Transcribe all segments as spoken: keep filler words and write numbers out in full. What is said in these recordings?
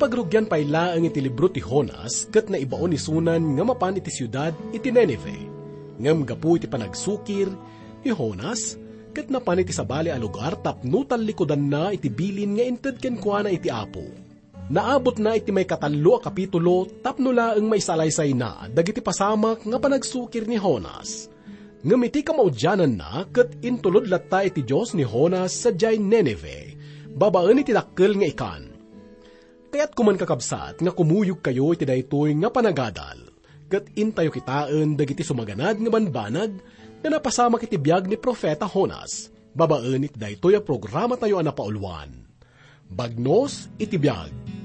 Pagrugian pay laeng iti libro ti Jonas ket naibaon isunan nga mapan iti siudad iti Ninive. Ngem gapu iti panagsukir ni Jonas ket napan iti sabali a lugar tapno tallikudanna iti bilin nga inted kenkuana iti Apo. Naabutna iti maikatallo a kapitulo tapno laeng maisalaysayna dagiti pasamak nga panagsukir ni Jonas. Ngem iti kamaudiananna ket intulod latta iti Dios ni Jonas sadiay Ninive, babaen iti dakkel nga ikan. Kayatko man, kakabsat, nga kumuyogkayo iti daytoy nga panagadal, ket intayo kitaen dagiti sumaganad nga banbanag nga napasamak iti biag ni Profeta Jonas, babaen iti daytoy a programatayo a napauluan, Bagnos iti Biag.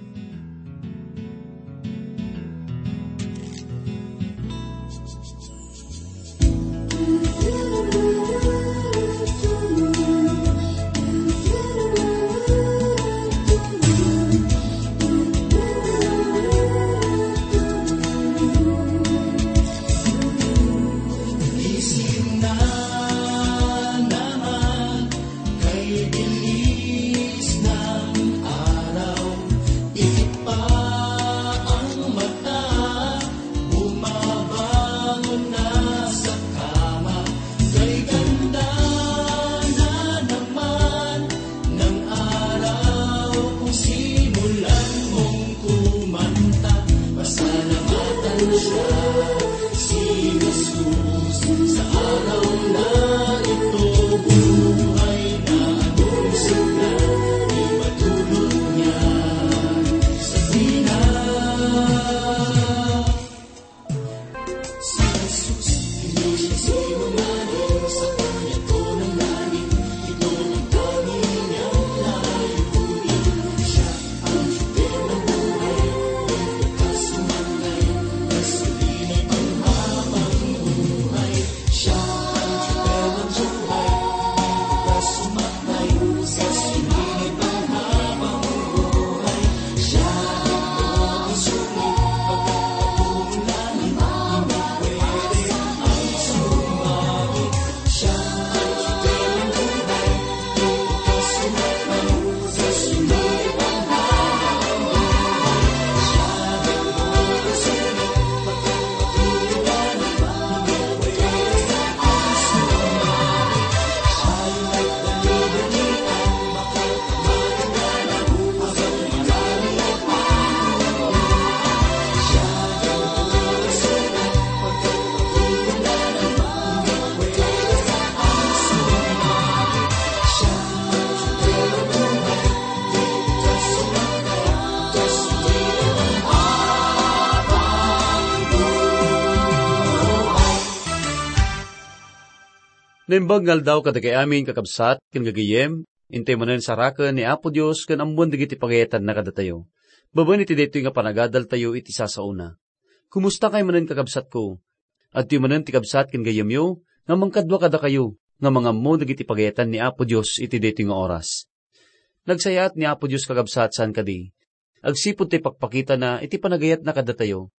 Kay bilis ng araw, itik pa ang mata, bumabangon na sa kama. Kay ganda na naman ng araw kung simulan mong kumanta. Pasalamatan siya, si Jesus, sa araw na ito, buhay na anong sigla, ipatulog niya sa dina. Si Jesus, hindi siya sinungaling, sa kanya to nangaling, ito ang tanging niyang layunin. Siya Naimbag nga aldaw kadagiti amin, kakabsat, ken gagayyem, intay manen saraken ni Apo Dios ken ammoen dagiti pagayatanna kadatayo. Babaen iti daytoy nga panagadaltayo iti sasaona. Kumusta kay manen, kakabsatko? Adtoy manen ti kabsat ken gayyemyo nga mangkadua kadakayo nga mangammo dagiti pagayatan ni Apo Dios iti daytoy nga oras. Nagsayaat ni Apo Dios, kakabsat, saan kadi? Agsipud ta ipakpakitana iti panagayatna kadatayo.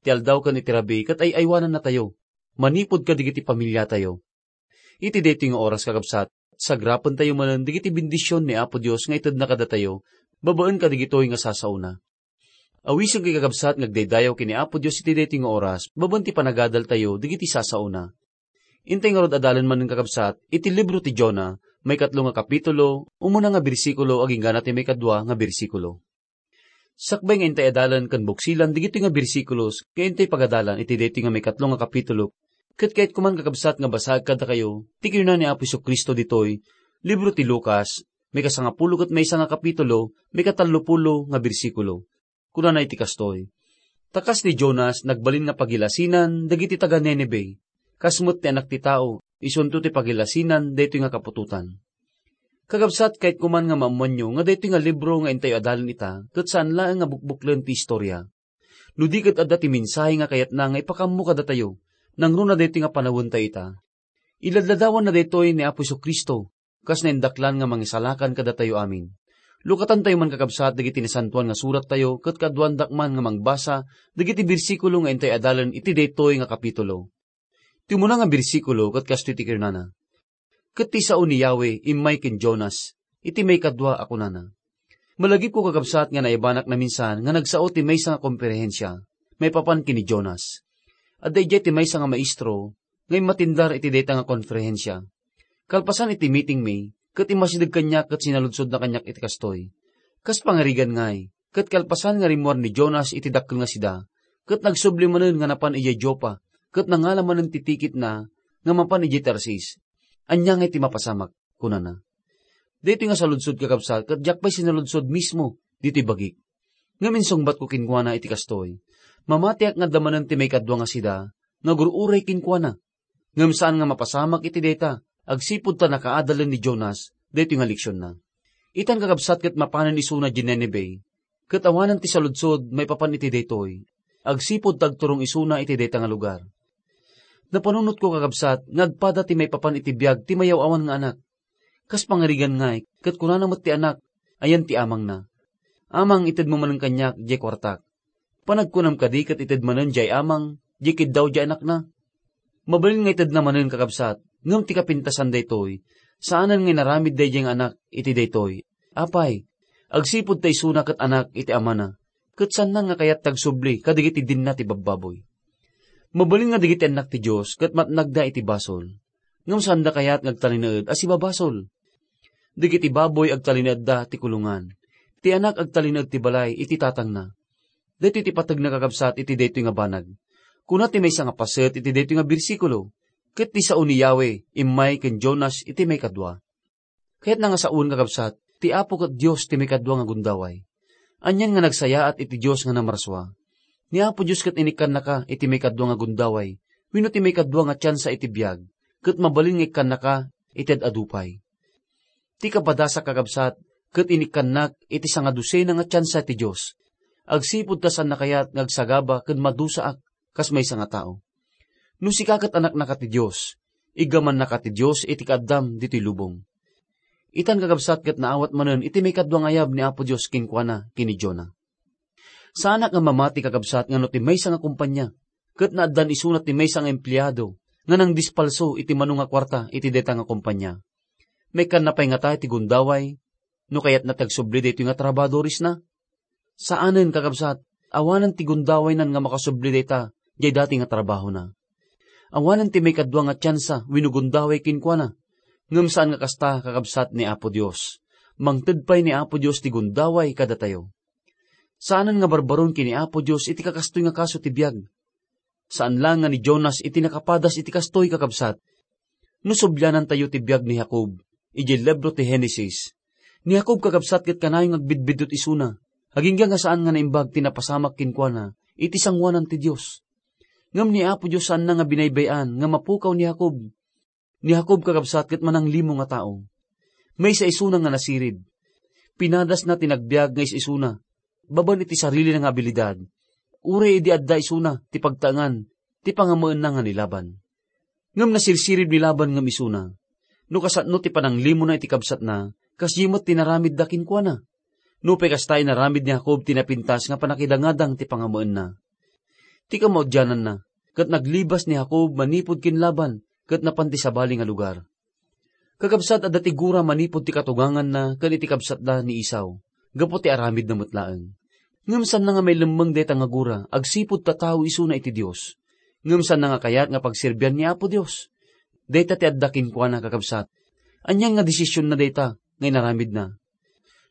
Ti aldaw ken iti rabii ket ay-aywanannatayo, manipud kadagiti pamiliatayo. Iti daytoy nga oras, kakabsat, sagrapentayo manen dagiti bendision ni Apo Dios nga itedna kadatayo babaen kadagitoy nga sasaona. Awisenkayo, kakabsat, nga agdaydayaw ken ni Apo Dios iti daytoy nga oras babaen ti panagadaltayo dagiti sasaona. Intay ngarud adalen manen, kakabsat, iti libro ti Jonah, maikatlo nga kapitulo, umuna nga bersikulo, agingga ti maikadua nga bersikulo. Sakbay nga intay adalen ken buksilan dagitoy nga bersikulos nga intay pagadalan iti daytoy nga maikatlo nga kapitulo, ket kayatko man, kakabsat, nga basaek kadakayo ti kinuna ni Apo Jesu-Cristo ditoy libro ti Lucas, maikasangapulo ket maysa nga kapitulo, maikatallopulo nga bersikulo. Kunana iti kastoy: Ta kas ni Jonas, nagbalin nga pagilasinan dagiti taga-Ninive, kas met ti Anak ti Tao, isunto ti pagilasinan daytoy nga kaputotan. Kakabsat, kayatko man nga maammoanyo nga daytoy nga libro nga intayo adalen ita ket saan laeng nga bukbuklen ti istorya. No di ket adda ti mensahe nga kayatna nga ipakammo kadatayo, nangruna daytoy nga panawentayo ita. Iladladawanna daytoy ni Apo Jesu-Cristo, kas naindaklan nga mangisalakan kadatayo amin. Lukatantayo man, kakabsat, dagiti Nasantoan nga Surattayo ket kaaduandak man nga mangbasa dagiti bersikulo nga intay adalen iti daytoy nga kapitulo. Ti umuna nga bersikulo ket kastoy ti kinunana: Ket ti sao ni Yahweh immay ken Jonas iti maikadua a kunana: Malagipko, kakabsat, nga naibanak naminsan nga nagsao ti maysa nga komperensia maipapan ken ni Jonas. Adda idiay ti maysa nga maestro nga immatindar iti dayta nga konferensia. Kalpasan iti meeting mi, ket immasideg kaniak ket sinaludsodna kaniak iti kastoy, "Kas pangarigan ngay, ket kalpasan nga rimmuar ni Jonas iti dakkel nga sida, ket nagsubli manen nga napan idiay Joppa, ket nangala manen ti tikitna nga mapan idiay Tarsis. Ania ngay ti mapasamak?" kunana. Daytoy nga saludsod, kakabsat, ket diak pay sinaludsod mismo ditoy bagik. Ngem insungbatko kenkuana iti kastoy, "Mamatiak nga adda manen ti maikadua nga sida nga agur-uray kenkuana, ngem saan nga mapasamak iti dayta, agsipud ta nakaadalen ni Jonas daytoy nga leksionna." Itan, kakabsat, ket mapanen isuna idiay Ninive, ket awanen ti saludsod maipapan iti daytoy, agsipud ta agturong isuna iti dayta nga lugar. Napanunotko, kakabsat, nga agpada ti maipapan iti biag ti mayaw-awan nga anak. Kas pangarigan ngay, ket kunana met ti anak, ayan ti amangna, "Amang, itedmo manen kaniak diay kuartak." Panagkunam kadi ket ited manen diay amang diay kiddaw diay anakna? Mabalin nga itedna manen, kakabsat, ngem ti kapintasan daytoy, saanen nga inaramid daydiay nga anak iti daytoy. Apay, agsipud ta isuna ket anak iti amana, ket saanna nga kayat ti agsubli kadagiti dinna ti babbaboy. Mabalin nga dagiti annak ti Dios ket matnagda iti basol, ngem saanda kayat nga agtalinaed a sibabasol. Dagiti baboy agtalinaedda ti kulongan, ti anak agtalinaed ti balay iti tatangna. Daytoy ti pategna, kakabsat, iti daytoy nga banag. Kuna ti maysa nga paset iti daytoy nga bersikulo, "Ket ti sao ni Yahweh immay ken Jonas iti maikadua." Kayatna nga saoen, kakabsat, ti Apo ket Dios ti maikadua nga gundaway. Anian nga nagsayaat iti Dios nga namarsua. Ni Apo Dios ket inikkannaka iti maikadua nga gundaway wenno ti maikadua nga tiansa iti biag, ket mabalin nga ikkannaka iti ad-adu pay. Ti kapadasak, kakabsat, ket inikkannak iti sangadusena nga tiansa ti Dios, agsipud ta saanna kayat nga agsagaba ken madusaak kas maysa nga tao. No sika ket anaknaka ti Dios, iggamannaka ti Dios iti kaaddam ditoy lubong. Itan, kakabsat, ket naawat manen iti maikadua nga ayab ni Apo Dios kenkuana ken ni Jonah. Saanak nga mamati, kakabsat, nga no ti maysa nga kompania ket naaddan isuna ti maysa nga empleado nga nangdispalso iti mano nga kuarta iti dayta nga kompania, maikkanna pay ngata iti gundaway no kayatna ti agsubli daytoy nga trabahadoresna? Saanen, kakabsat, awanen ti gundawaynan nga makasubli dayta diay dati nga trabahona. Awanen ti maikadua nga tiansa wenno gundaway kenkuana. Ngem saan nga kasta, kakabsat, ni Apo Dios. Mangted pay ni Apo Dios ti gundaway kadatayo. Saanen nga barbaron ken ni Apo Dios iti kakastoy nga kaso ti biag. Saan laeng nga ni Jonas iti nakapadas iti kastoy, kakabsat. No sublianantayo ti biag ni Jacob idiay libro ti Genesis, ni Jacob, kakabsat, ket kanayon nga agbidbiddut isuna, agingga nga saan nga naimbag ti napasamak kenkuana iti sangoanan ti Dios. Ngem ni Apo Dios saanna nga binaybay-an nga mapukaw ni Jacob. Ni Jacob, kakabsat, ket mananglimo nga tao. Maysa isuna nga nasirib. Pinadasna ti nagbiag nga is-isuna, babaen iti sarilina nga abilidad, uray idi adda isuna ti pagtaengan ti pangammaenna nga ni Laban. Ngem nasirsirib ni Laban ngem isuna. No kasano ti pananglimona iti kabsatna, kasdi met ti naramidda kenkuana. Nupay kasta, inaramid ni Jacob ti napintas nga pannakidangadang ti pangammaenna. Ti kamaudiananna, ket naglibas ni Jacob manipud ken Laban ket napan ti sabali nga lugar. Kakabsat, adda ti gura manipud ti katuganganna ken iti kabsatda ni Esau, gapu ti aramidna met laeng. Ngem saanna nga mailemmeng dayta nga gura agsipud ta tao isuna iti Dios. Ngem saanna nga kayat nga pagserbian ni Apo Dios. Dayta ti adda kenkuana, kakabsat. Anian nga desisionna dayta nga inaramidna?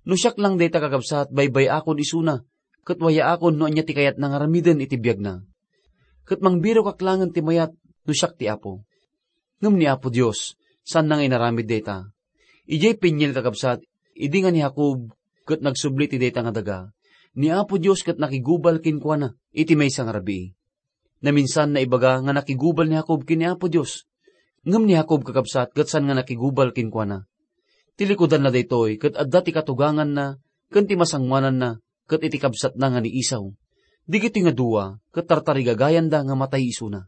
No siak lang dayta, kakabsat, baybay-akon isuna, ket wayaakon no ania ti kayatna nga aramiden iti biagna. Ket mangbirokak laengen ti mayat no siak ti Apo. Ngem ni Apo Dios, saanna nga inaramid dayta. Idiay peniel, kakabsat, idi nga ni Jacob ket nagsubli iti dayta nga daga, ni Apo Dios ket nakigubal kenkuana iti maysa nga rabii. Naminsan, naibaga nga nakigubal ni Jacob ken ni Apo Dios. Ngem ni Jacob, kakabsat, ket saan nga nakigubal kenkuana. Ti likudanna daytoy ket adda ti katuganganna ken ti masangoananna ket iti kabsatna nga ni Esau. Dagitoy nga dua ket tartarigagayanda nga matay isuna.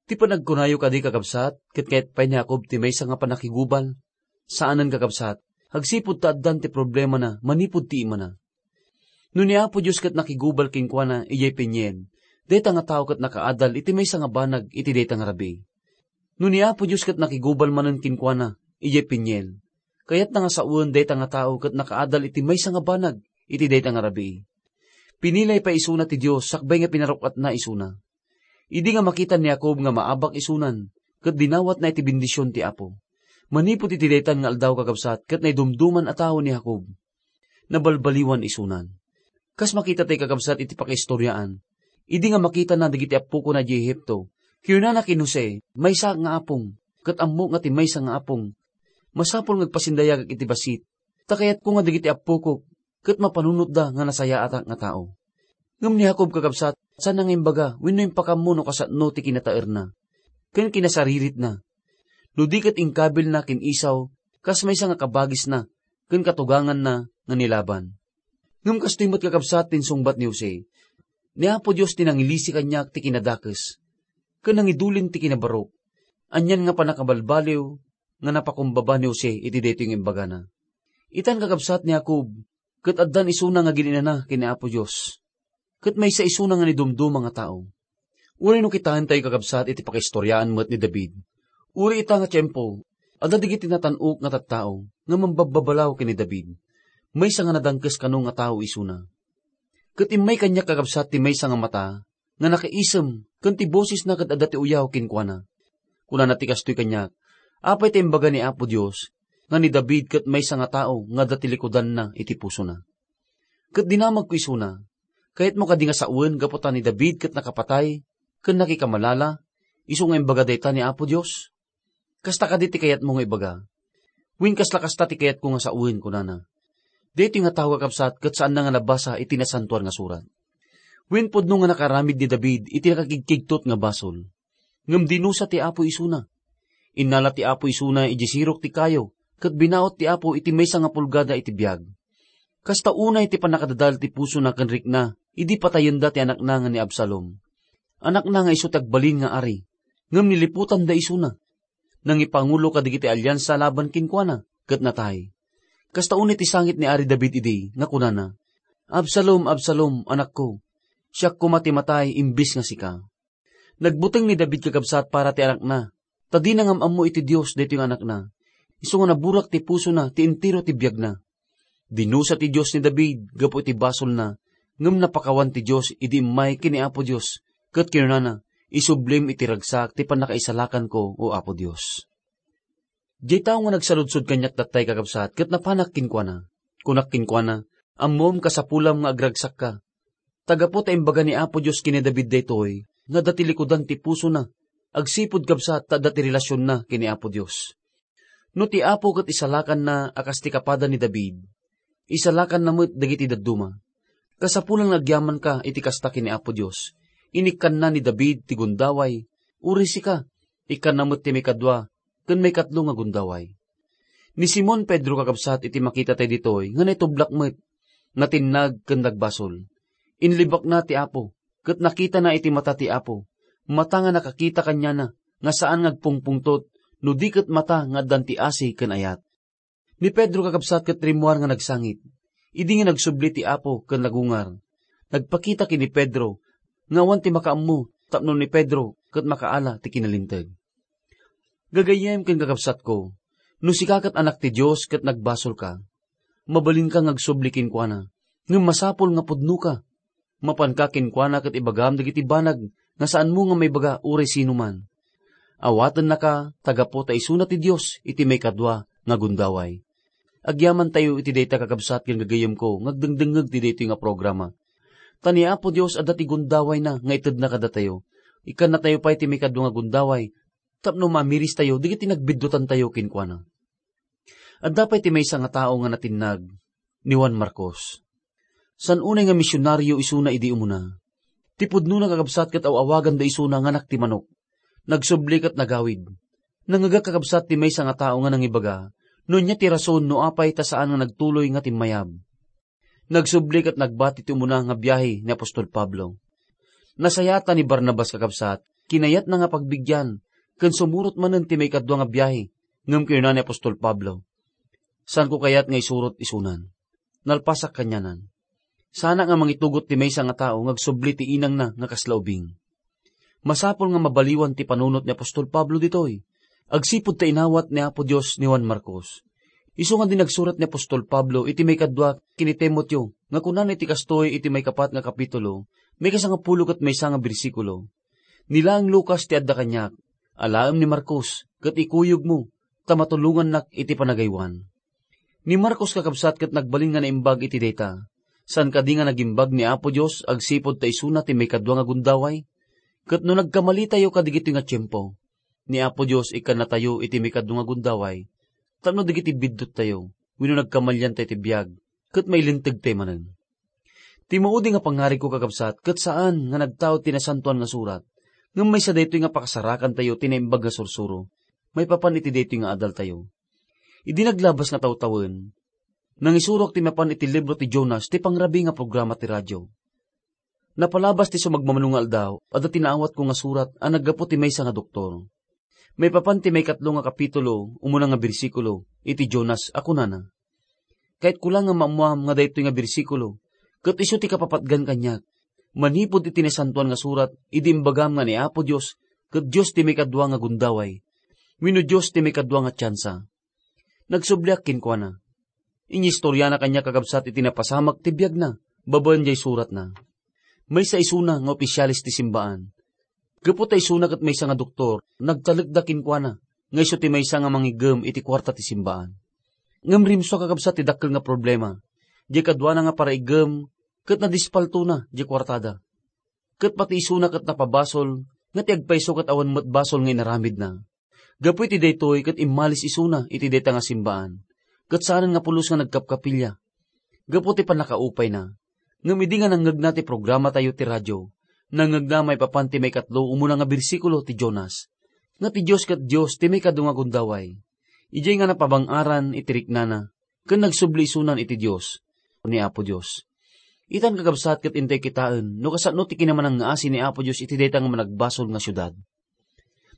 Ti panagkunayo kadi, kakabsat, ket kayat pay ni Jacob ti maysa nga pannakigubal? Saanen, kakabsat, agsipud ta addan ti problemana manipud ti imana. No ni Apo Dios ket nakigubal kenkuana idiay peniel, dayta nga tao ket nakaadal iti maysa nga banag iti dayta nga rabii. No ni Apo Dios ket nakigubal manen kenkuana idiay peniel, kayatna nga sawen dayta nga tao ket nakaadal iti maysa nga banag iti dayta nga rabii. Pinilay pay isuna ti Dios sakbay nga pinaruk-atna isuna. Idi nga makita ni Jacob nga maabak isunan, ket dinawatna iti bendision ti Apo. Manipud iti daytan nga aldaw, kakabsat, ket naidumduman a tao ni Jacob. Nabalbaliwan isunan. Kas makita tay, kakabsat, iti pakaistoriaan, idi nga makitana dagiti appokona idiay Egipto, kinunana ken Jose, "Maysaak nga apong, ket ammok nga ti maysa nga apong. Masapul nga agpasindayagak iti bassit, ta kayatko nga dagiti appokok ket mapanunotda nga nasayaatak nga tao." Ngem ni Jacob, kakabsat, saanna nga imbaga wenno impakammo no kasano ti kinataerna ken kinasariritna, no di ket inkabilna ken Esau kas maysa nga kabagisna ken katuganganna nga ni Laban. Ngem kastoy met, kakabsat, ti insungbat ni Jose, "Ni Apo Dios ti nangilisi kaniak ti kinadakes, ken nangidulin ti kinabarok." Anian nga pannakabalbaliw nga napakumbaba ni Jose iti daytoy nga imbagana. Itan, kakabsat, ni Jacob, ket addan isuna nga agin-inana ken ni Apo Dios, ket maysa isuna nga naidumduma nga tao. Uray no kitaentayo, kakabsat, iti pakaistoriaan met ni David, uri ita nga tiempo, adda dagiti natan-ok nga tattao nga mambabbabalaw ken ni David. Maysa nga nadangkes kano nga tao isuna. Ket immay kaniak, kakabsat, ti maysa nga mata nga nakaisem ken ti bosesna ket adda ti uyaw kenkuana. Kunana ti kastoy kaniak, "Apay ta imbaga ni Apo Dios nga ni David ket maysa nga tao nga adda ti likudanna iti pusona?" Ket dinamagko isuna, "Kayatmo kadi nga sawen gapu ta ni David ket nakapatay ken nakikamalala, isu nga imbaga dayta ni Apo Dios? Kasta kadi ti kayatmo nga ibaga?" "Wen, kasla kasta ti kayatko nga sawen," kunana. Daytoy nga tao, kakabsat, ket saanna nga nabasa iti Nasantoan nga Surat. Wen, pudno nga nakaaramid ni David iti nakakigkigtot nga basol. Ngem dinusa ti Apo isuna. Innala ti Apo isuna idiay sirok ti kayo, ket binaut ti Apo iti maysa nga pulgada iti biag. Kasta unay ti pannakadadal ti pusona ken rikna idi patayenda ti anakna nga ni Absalom. Anakna nga isu ti agbalin nga ari, ngem niliputanda isuna. Nangipangulo kadagiti aliansa laban kenkuana, ket natay. Kasta unay ti sangit ni Ari David idi nga kunana, "Absalom, Absalom, anakko, siak koma ti matay imbes nga sika." Nagbuteng ni David, kakabsat, para ti anakna, ta dina ngem ammo iti Dios daytoy nga anakna. Isu nga naburak ti pusona ti entero ti biagna. Dinusa ti Dios ni David gapu iti basolna, ngem napakawan ti Dios idi immay ken ni Apo Dios, ket kinunana, "Isublim iti ragsak ti pannakaisalakanko, O Apo Dios." Diay tao nga nagsaludsod kaniak tattay, kakabsat, ket napanak kenkuana. Kunak kenkuana, "Ammom, kasapulam nga agragsakka. Ta gapu ta imbaga ni Apo Dios ken ni David daytoy, nga adda ti likudan ti pusona, agsipud, kabsat, ta adda ti relasionna ken ni Apo Dios. No ti Apo ket isalakanna a kas ti kapada ni David, isalakanna met dagiti dadduma. Kasapulan nga agyamanka iti kasta ken ni Apo Dios. Inikkanna ni David ti gundaway, uray sika, ikkanna met ti maikadua ken maikatlo nga gundaway." Ni Simon Pedro, kakabsat, iti makita tayo ditoy nga naitublak met, natinnag ken nagbasol. Inlibakna ti Apo, ket nakitana iti mata ti Apo, mata nga nakakita kaniana nga saan nga agpungpungtot no di ket mata nga addan ti asi ken ayat. Ni Pedro, kakabsat, ket rimmuar nga nagsangit. Idi nga nagsubli ti Apo ken nagungar, nagpakita ken ni Pedro nga awan ti makaammo tapno ni Pedro ket makaala ti kinalinteg. Gagayyem ken kakabsatko, no sika ket anak ti Dios ket nagbasolka, mabalinka nga agsubli kenkuana, ngem masapul nga pudnoka. Mapanka kenkuana ket ibagam dagiti banag nga saanmo nga maibaga uray sinoman. Awatennaka ta gapu ta isuna ti Dios iti maikadua nga gundaway. Agyamantayo iti dayta, kakabsat ken gagayyemko, nga agdengdengngeg ti daytoy nga programa. Ta ni Apo Dios adda ti gundawayna nga itedna kadatayo. Ikkannatayo pay ti maikadua nga gundaway tapno mamiristayo dagiti nagbiddutantayo kenkuana. Adda pay ti maysa nga tao nga natinnag, ni Juan Marcos. Saan unay nga misionario isuna idi umuna. Ti pudnona, kakabsat, ket aw-awaganda isuna nga anak ti manok. Nagsubli ket nagawid. Nangngegak, kakabsat, ti maysa nga tao nga nangibaga no ania ti rason no apay ta saan nga nagtuloy nga timmayab. Nagsubli ket nagbati ti umuna nga biahe ni apostol Pablo. Nasayaat ni Barnabas, kakabsat, kinayatna nga pagbigyan, ken sumurot manen ti maikadua nga biahe, ngem kinuna ni apostol Pablo, "Saanko kayat nga isurot isunan. Nalpasak kanianan. Saanak nga mangitugot ti maysa nga tao nga agsubli ti inangna nga kasla ubing." Masapul nga mabaliwan ti panunot ni apostol Pablo ditoy, agsipud ta inawat ni Apo Dios ni Juan Marcos. Isu nga di nagsurat ni apostol Pablo iti maikadua ken ni Timoteo nga kunana iti kastoy iti maikapat nga kapitulo, maikasangapulo ket maysa nga bersikulo, "Ni laeng Lucas ti adda kaniak, alaem ni Marcos, ket ikuyogmo, ta matulongannak iti panagaywan." Ni Marcos, kakabsat, ket nagbalin nga naimbag iti dayta. Saan kadi nga nagimbag ni Apo Dios agsipud ta isuna ti maikadua nga gundaway? Ket no nagkamalitayo kadigitoy nga tiempo, ni Apo Dios ikkannatayo iti maikadua nga gundaway tapno dagiti bidduttayo wenno nagkamaliantayo ti biag ket mailintegtayo manen. Ti maudi nga pangngarigko, kakabsat, ket saan nga nagtaud ti Nasantoan nga Surat, ngem maysa daytoy nga pakasarakantayo ti Naimbag nga Sursuro maipapan iti daytoy nga adaltayo. Idi naglabas nga tawtawen, nangisurok ti mapan iti libro ti Jonas ti pangrabii nga programa ti radio. Napalabas ti sumagmamano nga aldaw, adda ti naawatko nga surat a naggapu ti maysa nga doktor. Maipapan ti maikatlo nga kapitulo, umuna nga bersikulo, iti Jonas a kunana, "Kayatko la nga maammuam nga daytoy nga bersikulo, ket isu ti kapapatgan kaniak, manipud iti Nasantoan nga Surat, idi imbagam nga ni Apo Dios, ket Dios ti maikadua nga gundaway, wenno Dios ti maikadua nga tiansa." Nagsubliak kenkuana. Inistoriana kaniak, kakabsat, iti napasamak ti biagna babaen jay suratna. Maysa isuna nga opisialis ti simbaan. Gapu ta isuna ket maysa nga doktor, nagtalekda kenkuana nga isu ti maysa nga mangiggem iti kuarta ti simbaan. Ngem rimsua, kakabsat, ti dakkel nga problema. Diay kaduana nga paraiggem ket nadispaltona diay kuartada. Ket pati isuna ket napabasol nga ti agpayso ket awan met basol nga inaramidna. Gapu iti daytoy ket immalis isuna iti dayta nga simbaan, ket saanen nga pulos nga nagkapkapilya gapu ti pannakaupayna. Ngem idi nga nangngegna ti programatayo ti radio, nangngegna maipapan ti maikatlo umuna nga bersikulo ti Jonas, nga ti Dios ket Dios ti maikadu nga gundaway. Idiay nga napabang-aran iti riknana, ken nagsubli isunan iti Dios, ni Apo Dios. Itan, kakabsat, ket intay kitaen no kasano ti kinamanangngaasi ni Apo Dios iti dayta nga managbasol nga siudad.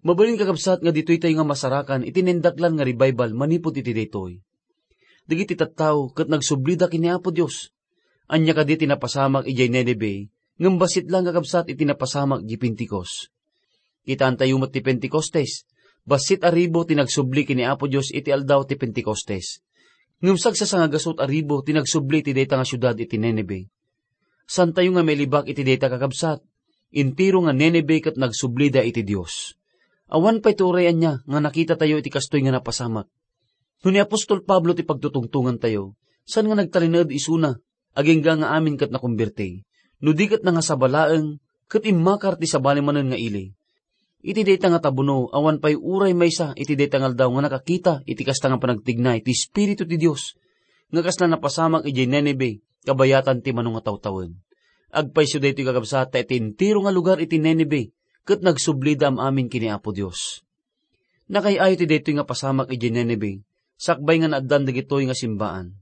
Mabalin, kakabsat, nga ditoytayo nga masarakan iti naindaklan nga revival manipud iti daytoy. Dagiti tattao ket nagsublida ken ni Apo Dios. Ania kadi ti napasamak idiay Nineve, ngem bassit laeng, kakabsat, iti napasamak idiay Pentecost. Kitaentayo met ti Pentecostes. Bassit a ribu ti nagsubli ken ni Apo Dios iti aldaw ti Pentecostes. Ngem sagsasangagasut a ribu ti nagsubli iti dayta nga siudad iti Nineve. Saantayo nga mailibak iti dayta, kakabsat. Entero nga Nineve ket nagsublida iti Dios. Awan pay ti uray ania nga nakitatayo iti kastoy nga napasamak. No ni apostol Pablo ti pagtutungtongantayo, saan nga nagtalinaed isuna, agingga nga amin ket nakomberti, no di ket nangasaba laeng, ket immakar ti sabali manen nga ili. Iti dayta nga tabuno, awan pay uray maysa iti dayta nga aldaw nga nakakita iti kasta nga panagtignay ti Espiritu ti Dios, nga kasla napasamak idiay Nineve, kabayatan ti mano nga tawtawen. Agpayso daytoy, kakabsat, ta iti entero nga lugar iti Nineve, ket nagsublida am-amin ken ni Apo Dios. Nakay-ayo ti daytoy nga pasamak idiay Nineve, sakbay nga naaddan dagitoy nga simbaan.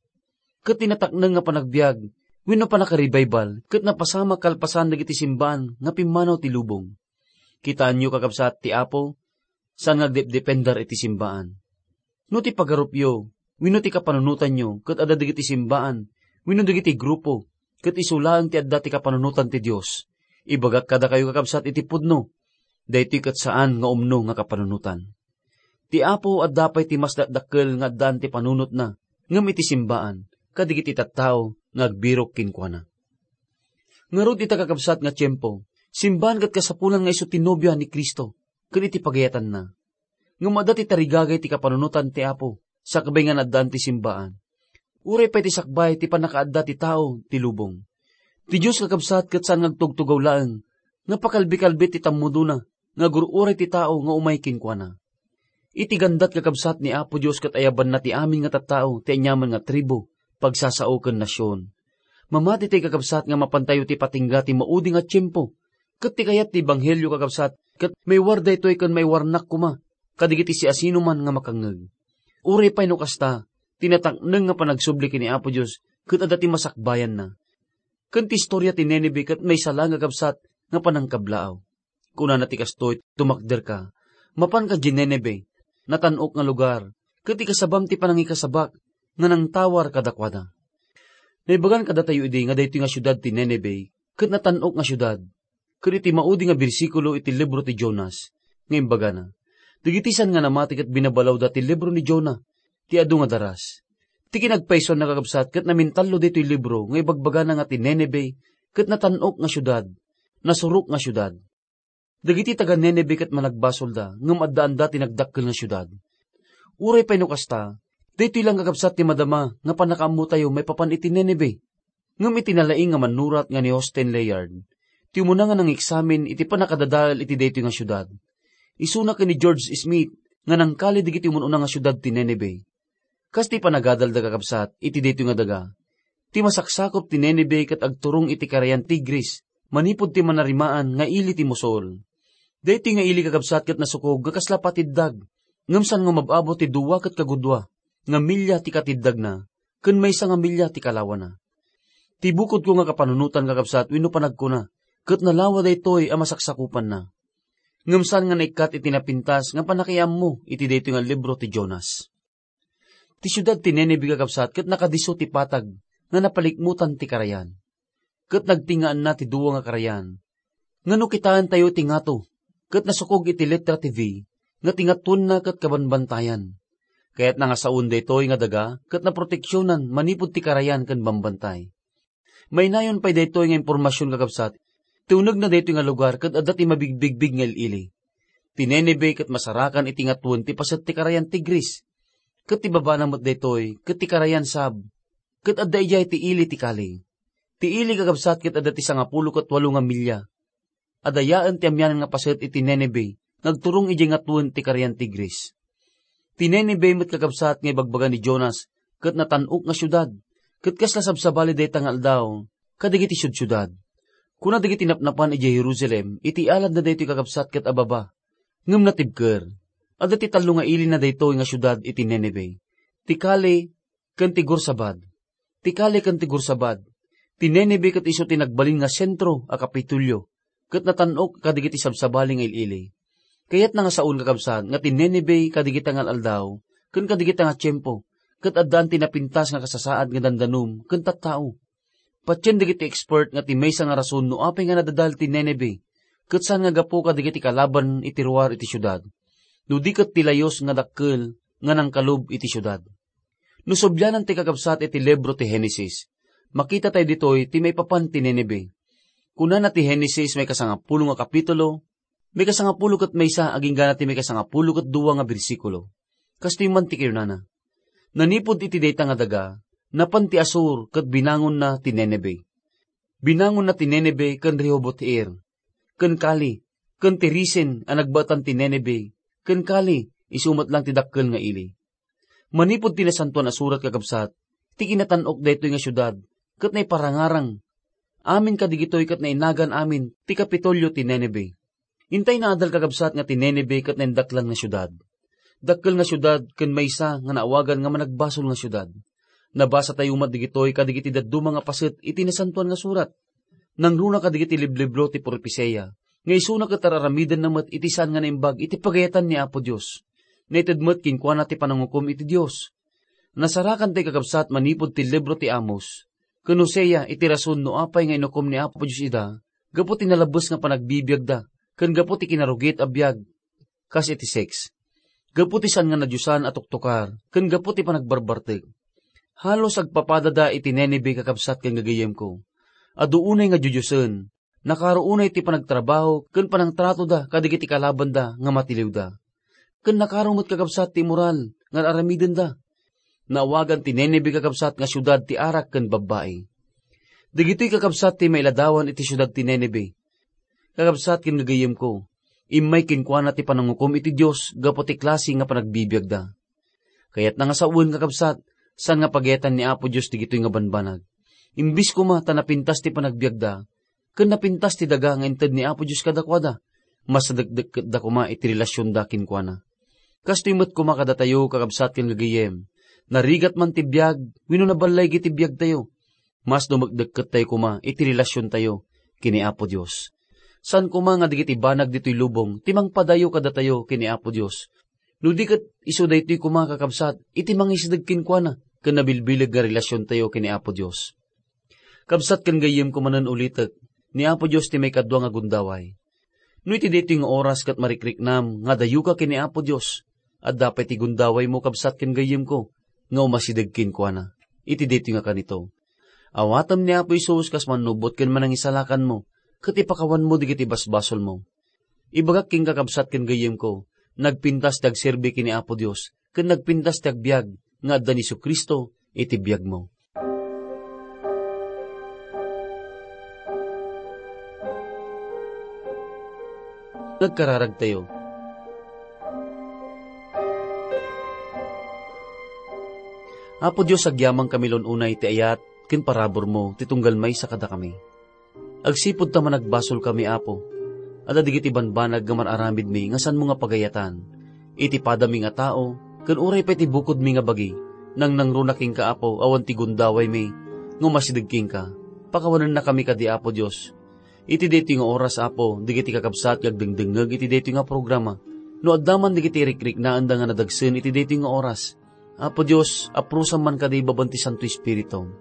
Ket ti natakneng nga panagbiag wenno pannakarevival ket napasamak kalpasan dagiti simbaan nga pimmanaw ti lubong. Kitaenyo, kakabsat, ti Apo, saan nga agdepdepender iti simbaan. No ti pagarupyo wenno ti kapanunotanyo ket adda dagiti simbaan wenno dagiti grupo, ket isu laeng ti adda ti kapanunotan ti Dios, ibagak kadakayo, kakabsat, iti pudno, daytoy ket saan nga umno nga kapanunotan. Ti Apo adda pay ti mas dakdakkel nga addaan ti panunotna ngem iti simbaan kadagiti tattao nga agbirok kenkuana. Ngarud, ita, kakabsat, nga tiempo, simbaan ket kasapulan nga isu ti nobia ni Cristo ken iti pagayatanna. Ngem adda ti tarigagay ti kapanunotan ti Apo sakbay nga naaddan ti simbaan. Uray pay ti sakbay ti pannakaadda ti tao ti lubong. Ti Dios, kakabsat, ket saan nga agtugtugaw laeng nga pakalbikalbit ti tammudona nga agur-uray ti tao nga umay kenkuana. Iti gandat, kakabsat, ni Apo Dios ket ayabanna ti amin nga tattao ti aniaman nga tribu, pagsasao ken nasion. Mamati tay, kakabsat, nga mapantayo ti patingga ti maudi nga tiempo, ket ti kayat ti ebanghelio, kakabsat, ket maiwar daytoy ken maiwarnak koma kadigiti siasinoman nga makangngeg. Uray pay no kasta, ti natakneng nga panagsubli ken ni Apo Dios ket adda ti masakbayanna. Ken ti istoria ti Nineve ket maysa laeng, kakabsat, nga panangkablaaw. Kunana ti kastoy, "Tumakderka, mapanka idiay Nineve, natan-ok nga lugar, ket ikasabam ti panangikasabak nga nangtawar kadakuada." Naibagan kadatayo idi nga daytoy nga siudad ti Nineve ket natan-ok nga siudad, ket iti maudi nga bersikulo iti libro ti Jonas nga imbagana, dagiti saan nga namati ket binabalawda ti libro ni Jona ti adu nga daras. Iti kinapaysuanna, kakabsat, ket namintallo daytoy libro nga ibagbagana nga ti Nineveh ket natan-ok nga siudad, nasurok nga siudad. Dagiti taga-Nineveh ket managbasolda, ngem addaanda ti nagdakkel nga siudad. Uray pay no kasta, daytoy laeng, kakabsat, ti madama nga pannakaammotayo maipapan iti Nineveh. Ngem iti nalaing nga mannurat nga ni Austen Layard, ti umuna nga nangeksamin iti pannakadadael iti daytoy nga siudad. Isuna ken ni George Smith nga nangkali dagiti umun-una nga siudad ti Nineveh. Kas ti panagadalda, kakabsat, iti daytoy nga daga, ti masaksakup ti Nineveh ket agturong iti karayan Tigris, manipud ti manarimaan nga ili ti Mosul. Daytoy nga ili, kakabsat, ket nasukog nga kasla patiddag, ngem saan nga umab-abot ti dua ket kagudua nga milia ti katiddagna, ken maysa nga milia ti kalawana. Ti bukodko nga kapanunotan, kakabsat, wenno panagkuna, ket nalawa daytoy a masaksakupanna. Ngem saan nga naikkat iti napintas nga pannakiammo iti daytoy nga libro ti Jonas. Ti siudad ti Nineveh, kakabsat, ket nakadisso ti patag nga napalikmutan ti karayan. Ket nagtingaanna ti dua nga karayan. Nga no kitaentayo ti ngato, ket nasukog iti letra ti V, nga ti ngatoenna ket kabanbantayan. Kayatna nga saoen daytoy nga daga ket naproteksionan manipud ti karayan ken bambantay. Mainayon pay daytoy nga impormasion, kakabsat, ti unegna daytoy nga lugar ket adda ti mabigbigbig nga il-ili. Ti Nineveh ket masarakan iti ngatoen ti paset ti karayan Tigris, ket ti babana met daytoy ket ti karayan Sab, ket adda idiay ti ili ti Kali. Ti ili, kakabsat, ket adda ti sangapulo ket walo nga milia. Adayaen ti amianan nga paset iti Nineveh nga agturong idiay ngatoen ti karayan Tigris. Ti Nineveh met, kakabsat, nga ibagbaga ni Jonas ket natan-ok nga siudad, ket kasla sabsabali dayta nga aldaw kadagiti siudsiudad. Kuna dagiti napnapan idiay Jerusalem iti aladna daytoy, kakabsat, ket ababa, ngem natibker. Adda ti tallo nga ilina daytoy nga siudad iti Nineveh: ti Kali, ken ti Gorsabad. Ti Kali ken ti Gorsabad. Ti Nineveh ket isu ti nagbalin nga sentro a Kapitolio, ket natan-ok kadagiti sabsabali nga il-ili. Kayatna nga saon, kakabsat, nga ti Nineveh kadagita nga al-aldaw ken kadagita nga tiempo, ket addaan ti napintas nga kasasaad nga dandanum ken tattao. Patien dagiti expert nga ti maysa nga rason no apay nga nadadael ti Nineveh, ket saan nga gapu kadagiti kalaban iti ruar iti siudad, no di ket ti layus nga dakkel nga nangkalub iti siudad. No sublianan ti, kakabsat, iti libro ti Genesis, makitatayo ditoy ti maipapan ti Nineveh. Kunana ti Genesis, maikasangapulo nga kapitulo, maikasangapulo ket maysa agingga ti maikasangapulo ket dua nga bersikulo. Kastoy man ti kinunana: Nanipud iti dayta nga daga, napan ti Asur ket binangonna ti Nineveh. Binangonna ti Nineveh ken Rehoboth-Ir, ken Kali, ken ti Resen a nagbaetan ti Nineveh, ken Kali, isu met laeng ti dakkel nga ili. Manipud ti Nasantoan a Surat, kakabsat, ti kinatan-ok daytoy nga siudad ket naiparangarang. Amin kadagitoy ket nainagan amin ti Kapitolio ti Nineveh. Intay naadal, kakabsat, nga ti Nineveh ket naindaklan nga siudad. Dakkel nga siudad ken maysa nga naawagan nga managbasol nga siudad. Nabasatayo met dagitoy kadagiti dadduma nga paset iti Nasantoan nga Surat. Nangruna kadagiti liblibro ti propesiya nga isuna ket ar-aramidenna met iti saan nga naimbag iti pagayatan ni Apo Dios. Naited met kenkuana ti panangukom iti Dios. Nasarakan tay, kakabsat, manipud ti libro ti Amos ken Hosea iti rason no apay nga inukom ni Apo Dios ida gapu ti nalabbes nga panagbibiagda ken gapu ti kinarugit a biag kas iti seks, gapu ti saan nga nadiosan a tuktukar ken gapu ti panagbarbartek. Halos agpapadada iti Nineveh, kakabsat ken gagayyemko. Adu unay nga diodiosen, nakaro unay ti panagtrabaho ken panangtratoda kadagiti kalabanda nga matiliwda. Ken nakaro met, kakabsat, ti moral nga ar-aramidenda. Naawagan ti Nineveh, kakabsat, nga siudad ti arak ken babbai. Dagitoy, kakabsat, ti mailadawan iti siudad ti Nineveh. Kakabsat ken gagayyemko, immay kenkuana ti panangukom iti Dios gapu ti klase nga panagbibiagda. Kayatna nga sawen, kakabsat, saan nga pagayatan ni Apo Dios dagitoy nga banbanag. Imbes koma ta napintas ti panagbiagda, ken napintas ti daga nga inted ni Apo Dios kadakuada, mas nadekdekketda koma iti relasionda kenkuana. Kastoy met koma kadatayo, kakabsat ken gagayyem, narigat man ti biag wenno naballaigi ti biagtayo, mas dumekdekkettayo koma iti relasiontayo ken ni Apo Dios. Saan koma nga dagiti banag ditoy lubong ti mangpadayo kadatayo ken ni Apo Dios. No di ket isu daytoy koma, kakabsat, iti mangisideg kenkuana ken nabilbileg nga relasiontayo ken ni Apo Dios. Kabsat ken gayyemko manen ulitek, ni Apo Dios ti maikadua nga gundaway. No iti daytoy nga oras ket marikriknam nga adayoka ken ni Apo Dios, adda pay ti gundawaymo, kabsat ken gayyemko, nga umasideg kenkuana iti daytoy nga kanito. Awatem ni Apo Jesus kas mannubot ken manangisalakanmo, ket ipakawanmo dagiti basbasolmo. Ibagak ken kakabsat ken gayyemko, nagpintas ti agserbi ken ni Apo Dios, ken nagpintas ti agbiag nga adda ni Jesu-Cristo iti biagmo. Nagkararagtayo. Apo Dios, agyamankami la unay ti ayat ken paraburmo ti tunggal maysa kadakami. Agsipud ta managbasolkami, Apo, adda dagiti banbanag nga man-aramidmi nga saanmo nga pagayatan. Iti padami nga tao, ken uray pay ti bukodmi nga bagi, nangnangruna kenka, Apo, awan ti gundawaymi nga umasideg kenka. Pakawanennakami kadi, Apo Dios. Iti daytoy nga oras, Apo, dagiti kakabsat nga agdengdengngeg iti daytoy nga programa, no adda man dagiti rikriknaenda nga nadagsen iti daytoy nga oras, Apo Dios, aprusam man kadi ibabaen ti Santo Espiritum.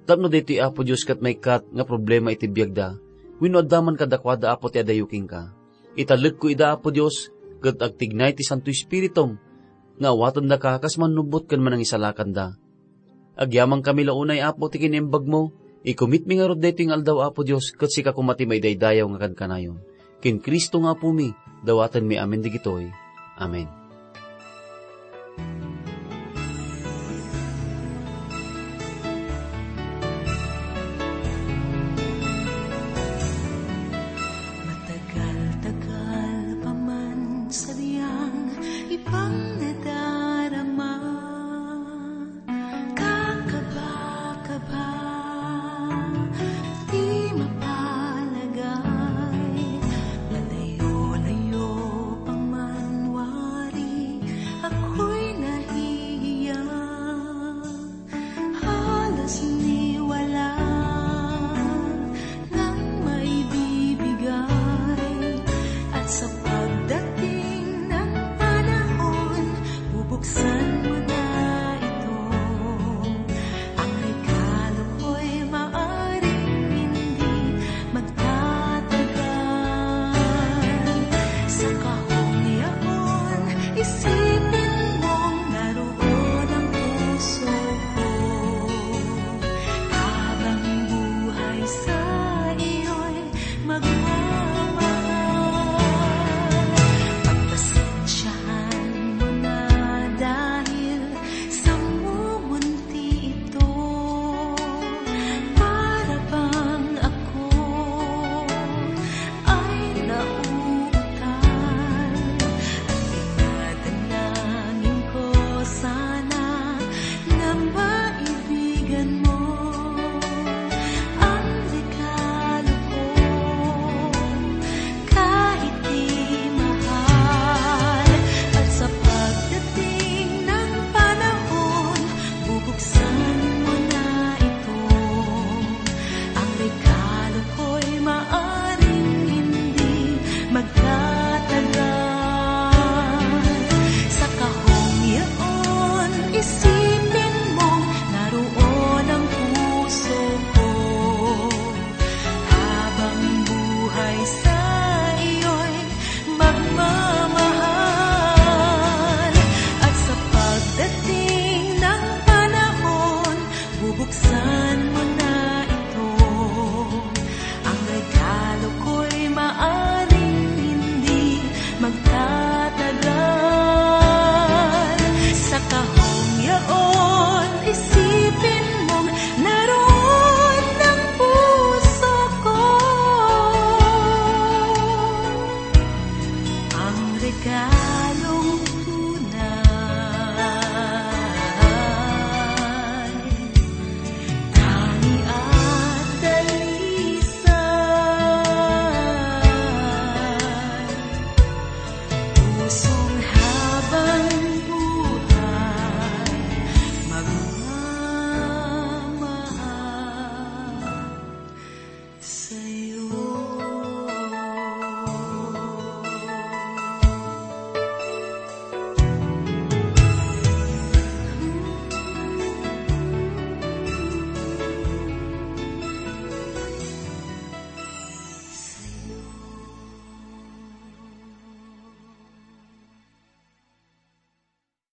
Tapno daytoy, Apo Dios, ket maikkat nga problema iti biagda, wenno adda man kadakuada, Apo, ti adayo kenka. Italekko ida, Apo Dios, ket agtignay ti Santo Espiritum nga awatendaka kas mannubot ken manangisalakanda. Agyamankami la unay, Apo, ti kinaimbagmo. Ikumitmi ngarud daytoy nga aldaw, Apo Dios, ket sika koma ti maidaydayaw nga kankanayon. Ken Cristo nga Apomi, dawatenmi amin dagitoy. Amen.